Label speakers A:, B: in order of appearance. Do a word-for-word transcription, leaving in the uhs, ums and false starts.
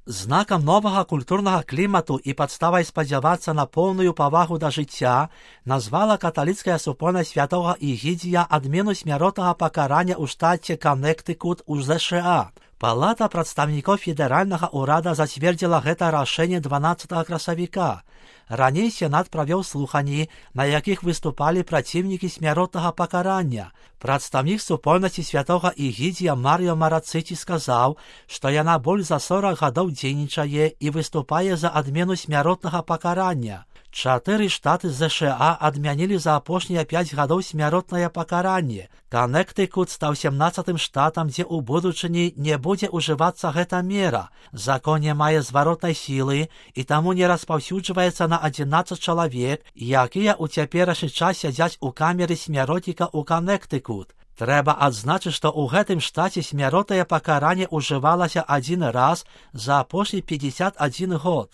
A: Знакам новага культурнага клімату і падставай спадзявацца на поўную павагу да жыцця назвала каталіцкая супольнасць святога Ігідзія адмену смяротнага пакарання ў штаце Каннектыкут у ЗША. Палата прадстаўнікоў федэральнага ўрада зацвердзіла гэта рашэнне дванаццатага красавіка. Раней Сенат правёў слуханні, на якіх выступалі праціўнікі смяротнага пакарання. Прадстаўнік супольнасці святога Ігідзія Марыё Марацыці сказаў, што яна больш за сорак гадоў дзейнічае і выступае за адмену смяротнага пакарання. Чатыры штаты ЗША адмянілі за апошнія пяць гадоў смяротнае пакаранне. Каннектыкут стаў сямнаццатым штатам, дзе ў будучыні не будзе ўжывацца гэта мера. Закон не мае зваротнай сілы і таму не распаўсюджваецца на адзінаццаць чалавек, якія ў цяперашні час сядзяць у камеры смяротніка ў Каннектыкут. Трэба адзначыць, што ў гэтым штаце смяротнае пакаранне ўжывалася адзін раз за апошні пятьдесят один год.